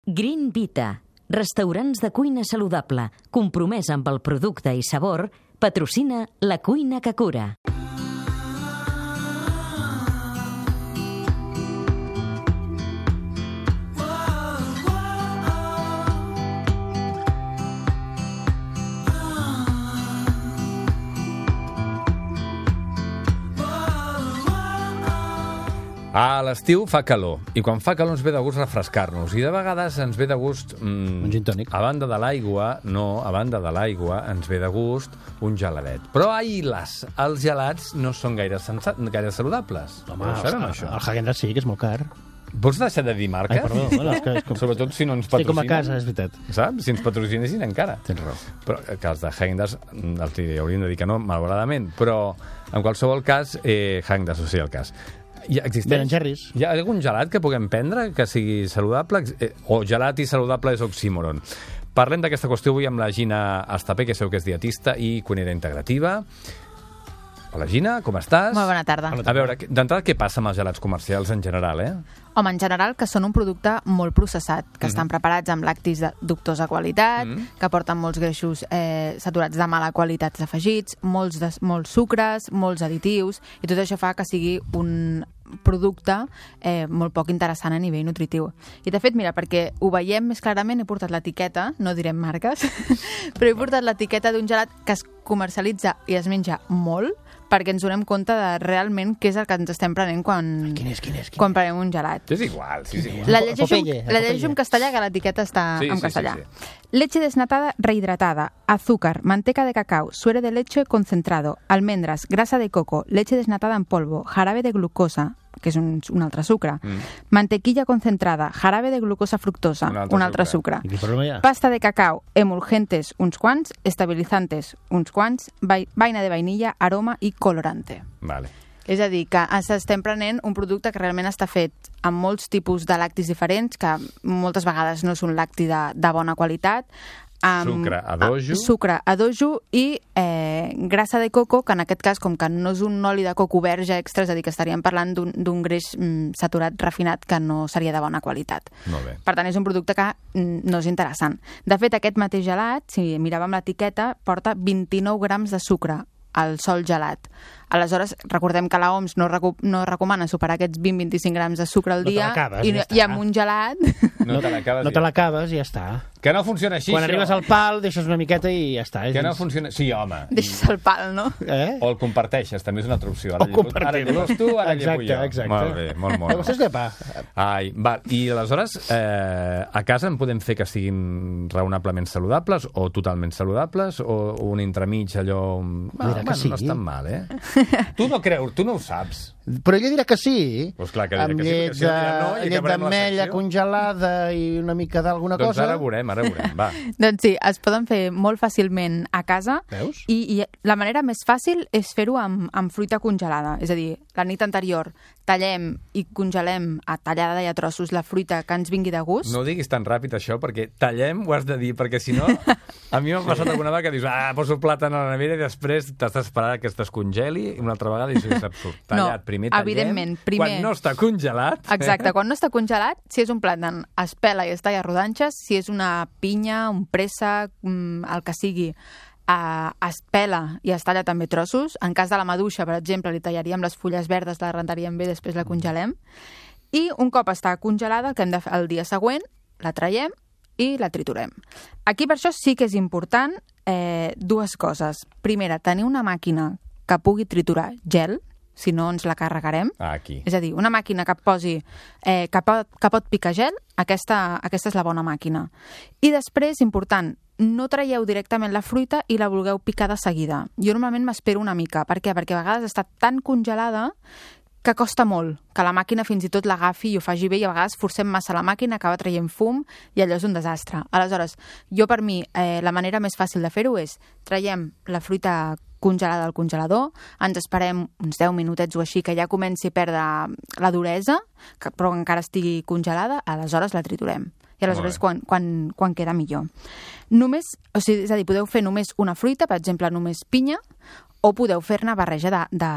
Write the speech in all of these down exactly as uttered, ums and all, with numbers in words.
Green Vita, restaurants de cuina saludable, compromès amb el producte i sabor, patrocina La Cuina que Cura. A l'estiu fa calor, i quan fa calor ens ve de gust refrescar-nos, i de vegades ens ve de gust... Mm, un gin tònic. A banda de l'aigua, no, a banda de l'aigua ens ve de gust un geladet. Però ai, les, els gelats no són gaire, sensa, gaire saludables. Home, no sabem, el, això. el Häagen-Dazs sí, que és molt car. Vols deixar de dir marques? Ai, perdó. Bueno, és que és com... Sobretot si no ens Estic patrocinen. com a casa, és veritat. Saps? Si ens patrocinessin encara. Tens raó. Però que els de Häagen-Dazs els hauríem de dir que no, malauradament. Però, en qualsevol cas, eh, Häagen-Dazs, o sigui, el cas. Ja existeix? Ben Jerry's. Hi ha algun gelat que puguem prendre que sigui saludable? Eh, o gelat i saludable és oxímoron. Parlem d'aquesta qüestió avui amb la Gina Estapé, que sabeu que és dietista i cuinera integrativa. Hola, Gina, com estàs? Molt bona tarda. A veure, d'entrada, què passa amb els gelats comercials en general, eh? Home, en general, que són un producte molt processat, que mm-hmm. estan preparats amb lactis de dubtosa qualitat, mm-hmm. que porten molts greixos eh, saturats de mala qualitat afegits, molts, de, molts sucres, molts additius, i tot això fa que sigui un producte eh, molt poc interessant a nivell nutritiu. I de fet, mira, perquè ho veiem més clarament, he portat l'etiqueta, no direm marques, però he portat l'etiqueta d'un gelat que es comercialitza i es menja molt, perquè ens donem compte de realment què és el que ens estem prenent quan, quin és, quin és, quin quan prenem un gelat. És igual, sí, és igual. La llegeixo, Popeye, la llegeixo en castellà, que l'etiqueta està sí, en sí, castellà. Sí, sí. Leche desnatada rehidratada, azúcar, manteca de cacao, suero de leche concentrado, almendras, grasa de coco, leche desnatada en polvo, jarabe de glucosa, que és un, un altre sucre, mm. mantequilla concentrada, jarabe de glucosa fructosa, un altre, un altre sucre, sucre. Pasta de cacao, emulgentes, uns quants, estabilizantes, uns quants, vaina de vainilla, aroma i colorante. Vale. És a dir, que estem prenent un producte que realment està fet amb molts tipus de lactis diferents, que moltes vegades no és un lacti de, de bona qualitat, amb sucre a dojo, sucre a dojo i eh, grassa de coco, que en aquest cas, com que no és un oli de coco verge extra, és a dir, que estaríem parlant d'un greix mm, saturat refinat que no seria de bona qualitat. Molt bé. Per tant, és un producte que mm, no és interessant. De fet, aquest mateix gelat, si miràvem l'etiqueta, porta vint-i-nou grams de sucre al sol gelat. Aleshores, recordem que l'O M S no, recu no recomana superar aquests vint a vint-i-cinc grams de sucre al dia, no i, ja i amb un gelat... No te l'acabes no te l'acabes i ja està. Que no funciona així, quan això. Arribes al pal, deixes una miqueta i ja està. Que no funciona... Sí, home. Deixes el pal, no? Eh? O el comparteixes, també és una altra opció. Ara o compartir-lo. Ara tu, ara exacte, jo. Exacte. Molt bé, molt molt. Vostès de pa. Ai, va. I aleshores, eh, a casa en podem fer que siguin raonablement saludables o totalment saludables o un entremig allò... Ah, bueno, sí. No és tan mal, eh? Tu no creus, tu no ho saps. Però ella dirà que sí. Pues clar que dirà amb que llet, sí, perquè si no, no llet d'ametlla congelada i una mica d'alguna doncs cosa. Doncs ara veurem, ara veurem, va. Doncs sí, es poden fer molt fàcilment a casa. Veus? I, i la manera més fàcil és fer-ho amb, amb fruita congelada. És a dir, la nit anterior tallem i congelem a tallada i a trossos la fruita que ens vingui de gust. No ho diguis tan ràpid, això, perquè tallem ho has de dir, perquè si no... A mi m'ha passat alguna vegada que dius, ah, poso plàtan a la nevera i després t'has d'esperar que es descongeli i una altra vegada i això és absurd. Tallat, no, primer tallem, evidentment, primer... quan no està congelat... Exacte, quan no està congelat, si és un plàtan, es pela i es talla a rodanxes, si és una pinya, un préssec, el que sigui, Uh, es pela i es talla també trossos. En cas de la maduixa, per exemple, li tallaríem les fulles verdes, la rentaríem bé, després la congelem. I un cop està congelada, el que hem de fer el dia següent, la traiem i la triturem. Aquí per això sí que és important eh, dues coses. Primera, tenir una màquina que pugui triturar gel, si no ens la carregarem. Ah, aquí. És a dir, una màquina que posi, eh, que, pot, que pot picar gel, aquesta, aquesta és la bona màquina. I després, important, no traieu directament la fruita i la vulgueu picar de seguida. Jo normalment m'espero una mica. Per què? Perquè a vegades està tan congelada que costa molt que la màquina fins i tot l'agafi i ho faci bé, i a vegades forcem massa la màquina, acaba traient fum i allò és un desastre. Aleshores, jo per mi, eh, la manera més fàcil de fer-ho és traiem la fruita congelada al congelador, ens esperem uns deu minutets o així que ja comenci a perdre la duresa, que, però encara estigui congelada, aleshores la triturem. I aleshores quan, quan, quan queda millor. Només, o sigui, és a dir, podeu fer només una fruita, per exemple, només pinya, o podeu fer-ne barreja de, de,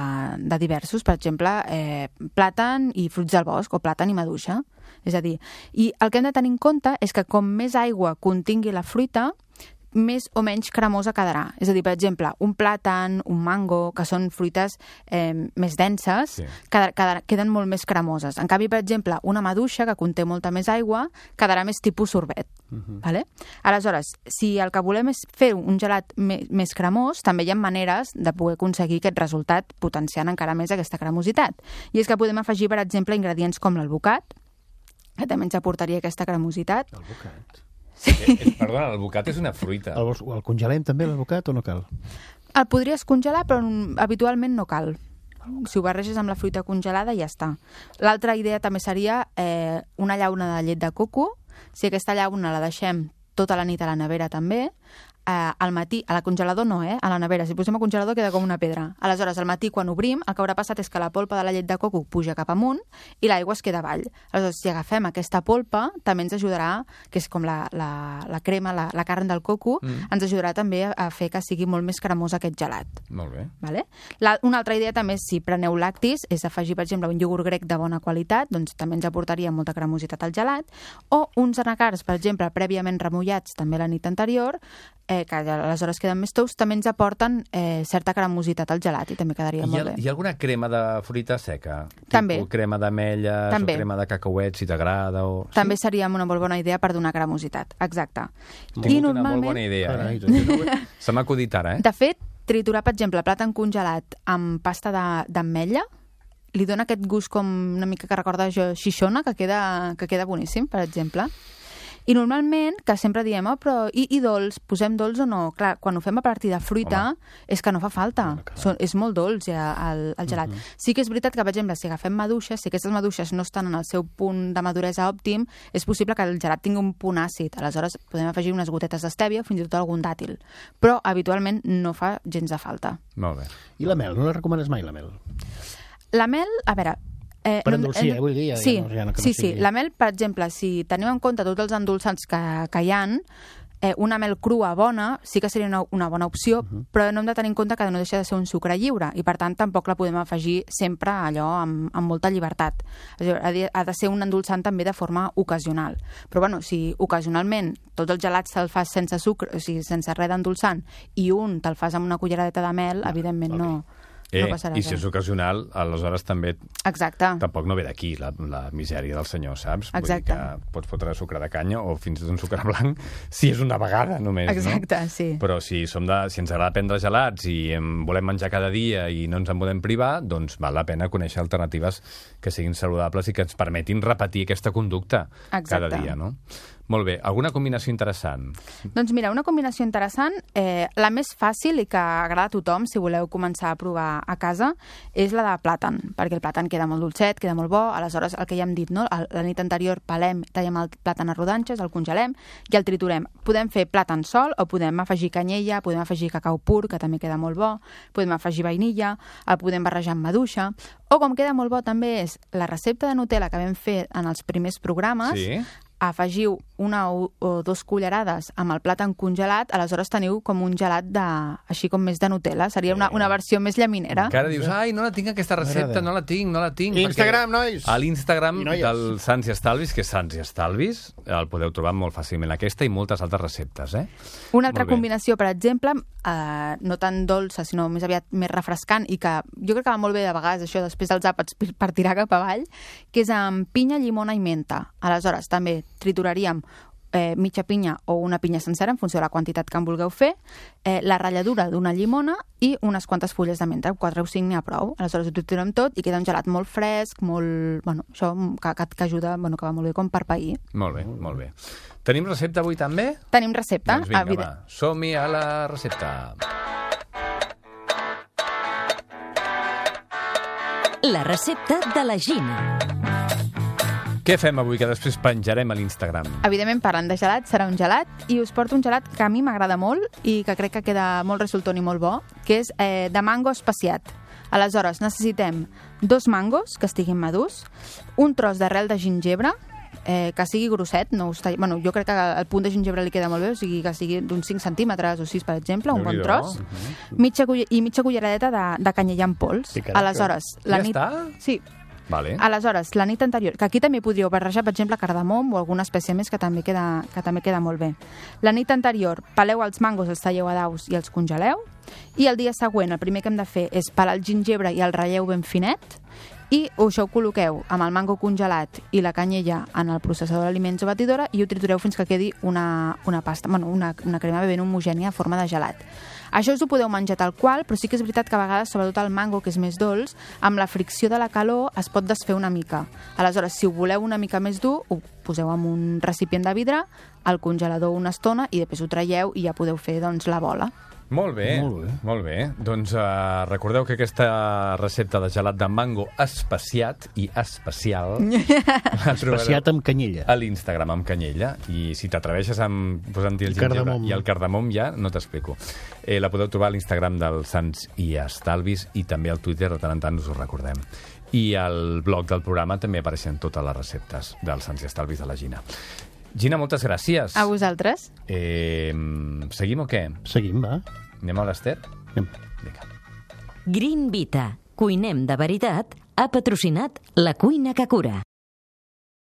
de diversos, per exemple, eh, plàtan i fruits del bosc, o plàtan i maduixa. És a dir, i el que hem de tenir en compte és que com més aigua contingui la fruita, més o menys cremosa quedarà. És a dir, per exemple, un plàtan, un mango, que són fruites eh, més denses, sí. quedar, quedar, queden molt més cremoses. En canvi, per exemple, una maduixa, que conté molta més aigua, quedarà més tipus sorbet. Uh-huh. Vale? Aleshores, si el que volem és fer un gelat me, més cremós, també hi ha maneres de poder aconseguir aquest resultat potenciant encara més aquesta cremositat. I és que podem afegir, per exemple, ingredients com l'alvocat, que també ens aportaria aquesta cremositat. L'alvocat? Sí. Eh, perdona, l'alvocat és una fruita. El, el congelem també, l'alvocat, o no cal? El podries congelar, però habitualment no cal. Si ho barreges amb la fruita congelada, ja està. L'altra idea també seria eh, una llauna de llet de coco. Si aquesta llauna la deixem tota la nit a la nevera també, eh, al matí, a la congelador no, eh? A la nevera. Si posem al congelador queda com una pedra. Aleshores, al matí, quan obrim, el que haurà passat és que la polpa de la llet de coco puja cap amunt i l'aigua es queda avall. Aleshores, si agafem aquesta polpa, també ens ajudarà, que és com la, la, la crema, la, la carn del coco, mm. ens ajudarà també a, a fer que sigui molt més cremós aquest gelat. Molt bé. Vale? La, una altra idea també és, si preneu lactis, és afegir, per exemple, un iogurt grec de bona qualitat, doncs també ens aportaria molta cremositat al gelat, o uns anacards, per exemple, prèviament remullats també la nit anterior, eh, que aleshores queden més tous, també ens aporten eh, certa cremositat al gelat i també quedaria Hi ha, molt bé. hi ha alguna crema de fruita seca? També. Tipus crema d'ametlles o crema de cacauet, si t'agrada? O... També sí? Seria una molt bona idea per donar cremositat, exacte. Tinc I normalment... una molt bona idea, eh? Carai, se m'ha acudit ara, eh? De fet, triturar, per exemple, plàtan congelat amb pasta d'ametlla li dona aquest gust com una mica que recorda xixona, que queda, que queda boníssim, per exemple. I normalment, que sempre diem, oh, però i, i dolç, posem dolç o no? Clar, quan ho fem a partir de fruita, home, és que no fa falta. Són, és molt dolç ja, el, el gelat. Uh-huh. Sí que és veritat que, per exemple, si agafem maduixes, si aquestes maduixes no estan en el seu punt de maduresa òptim, és possible que el gelat tingui un punt àcid. Aleshores, podem afegir unes gotetes d'estèvia o fins i tot algun dàtil. Però, habitualment, no fa gens de falta. Molt bé. I la mel? No la recomanes mai, la mel? La mel, a veure... Eh, per endolcir, eh, vull dir. Ja, sí, ja no, ja no, sí, no sí. La mel, per exemple, si tenim en compte tots els endolçants que, que hi ha, eh, una mel crua bona sí que seria una, una bona opció, uh-huh. però no hem de tenir en compte que no deixa de ser un sucre lliure i, per tant, tampoc la podem afegir sempre allò amb, amb molta llibertat. Ha de, ha de ser un endolçant també de forma ocasional. Però, bueno, si ocasionalment tots els gelats te'l fas sense sucre, o sigui, sense res d'endolçant, i un te'l fas amb una culleradeta de mel, evidentment okay. no... Eh, no passarà I si és ocasional, aleshores també... Exacte. Tampoc no ve d'aquí la, la misèria del senyor, saps? Exacte. Vull dir que pots fotre sucre de canya o fins i tot un sucre blanc si és una vegada només, Exacte, no? sí. Però si, som de, si ens agrada prendre gelats i en volem menjar cada dia i no ens en podem privar, doncs val la pena conèixer alternatives que siguin saludables i que ens permetin repetir aquesta conducta Exacte. Cada dia, no? Molt bé. Alguna combinació interessant? Doncs mira, una combinació interessant, eh, la més fàcil i que agrada a tothom, si voleu començar a provar a casa, és la de plàtan, perquè el plàtan queda molt dolcet, queda molt bo, aleshores el que ja hem dit, no? La nit anterior pelem, tallem el plàtan a rodanxes, el congelem i el triturem. Podem fer plàtan sol o podem afegir canyella, podem afegir cacau pur, que també queda molt bo, podem afegir vainilla, el podem barrejar amb maduixa, o com queda molt bo també és la recepta de Nutella que vam fer en els primers programes, sí. Afegiu una o, o dos cullerades amb el plàtan congelat, aleshores teniu com un gelat de, així com més de Nutella. Seria una, una versió més llaminera. Encara dius, ai, no la tinc aquesta recepta, no la tinc, no la tinc. Instagram, nois! A l'Instagram del Sants i Estalvis, que és Sants i Estalvis, el podeu trobar molt fàcilment, aquesta i moltes altres receptes, eh? Una altra combinació, per exemple, eh, no tan dolça, sinó més aviat més refrescant i que jo crec que va molt bé de vegades, això, després dels àpats per tirar cap avall, que és amb pinya, llimona i menta. Aleshores, també trituraríem eh, mitja pinya o una pinya sencera en funció de la quantitat que en vulgueu fer, eh, la ratlladura d'una llimona i unes quantes fulles de menta, quatre o cinc n'hi ha prou. Aleshores ho triturem tot i queda un gelat molt fresc, molt... Bueno, això que, que, que ajuda, bueno, que va molt bé com per pair. Molt bé, molt bé. Tenim recepta avui també? Tenim recepta. Doncs vinga, va, som-hi a la recepta. La recepta de la Gina. Què fem avui, que després penjarem a l'Instagram? Evidentment, parlant de gelat, serà un gelat, i us porto un gelat que a mi m'agrada molt i que crec que queda molt resultant i molt bo, que és eh, de mango especiat. Aleshores, necessitem dos mangos que estiguin madurs, un tros d'arrel de gingebre, eh, que sigui grosset, no us talli... bueno, jo crec que el punt de gingebre li queda molt bé, o sigui que sigui d'uns cinc centímetres o sis, per exemple, un bon tros, mitja cull... i mitja culleradeta de, de canyella en pols. Sí, aleshores, la ja nit... està? Sí. Vale. Aleshores, la nit anterior, que aquí també podríeu barrejar, per exemple, cardamom o alguna espècie més que també queda, que també queda molt bé. La nit anterior, peleu els mangos, els talleu a daus i els congeleu, i el dia següent el primer que hem de fer és pelar el gingebre i el ratlleu ben finet, i això ho col·loqueu amb el mango congelat i la canyella en el processador d'aliments o batidora i ho tritureu fins que quedi una, una pasta, bueno, una, una crema ben homogènia a forma de gelat. Això us ho podeu menjar tal qual, però sí que és veritat que a vegades, sobretot el mango, que és més dolç, amb la fricció de la calor es pot desfer una mica. Aleshores, si ho voleu una mica més dur, ho poseu en un recipient de vidre, al congelador una estona i després ho traieu i ja podeu fer doncs, la bola. Molt bé, Molt bé. molt bé. Doncs uh, recordeu que aquesta recepta de gelat de mango especiat i especial la Especiat amb canyella. a l'Instagram amb canyella, i si t'atreveixes amb posant-hi el gingebre Cardamom. i el cardamom ja no t'explico. Eh, la podeu trobar a l'Instagram del Sants i Estalvis i també al Twitter, de tant en tant us ho recordem. I al blog del programa també apareixen totes les receptes del Sants i Estalvis de la Gina. Gina, moltes gràcies. A vosaltres. Eh, seguim o què? Seguim, va. Anem a l'Ester? Anem. Vinga. Green Vita, cuinem de veritat, ha patrocinat La Cuina que Cura.